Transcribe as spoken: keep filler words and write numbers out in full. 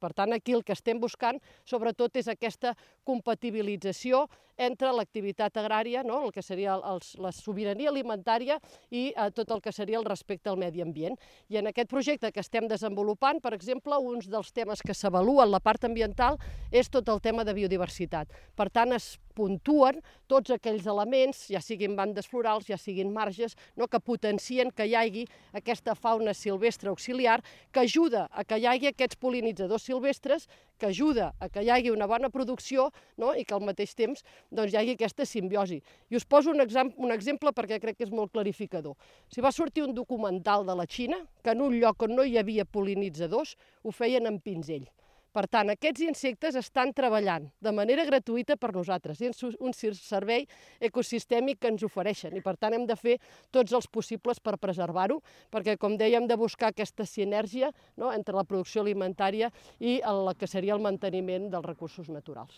Per tant, aquí el que estem buscant, sobretot, és aquesta compatibilització entre l'activitat agrària, no? El que seria els, la sobirania alimentària i eh, tot el que seria el respecte al medi ambient. I en aquest projecte que estem desenvolupant, per exemple, un dels temes que s'avalua en la part ambiental és tot el tema de biodiversitat. Per tant, es puntuen tots aquells elements, ja siguin bandes florals, ja siguin marges, no? Que potencien que hi hagi aquesta fauna silvestre auxiliar que ajuda a que hi hagi aquests pol·linitzadors silvestres, que ajuda a que hi hagi una bona producció, no? I que al mateix temps doncs, hi hagi aquesta simbiosi. I us poso un, un exemple perquè crec que és molt clarificador. Si va sortir un documental de la Xina que en un lloc on no hi havia pol·linitzadors ho feien amb pinzell. Per tant, aquests insectes estan treballant de manera gratuïta per nosaltres. És un servei ecosistèmic que ens ofereixen i, per tant, hem de fer tots els possibles per preservar-ho, perquè, com dèiem, de buscar aquesta sinergia, no? Entre la producció alimentària i el que seria el manteniment dels recursos naturals.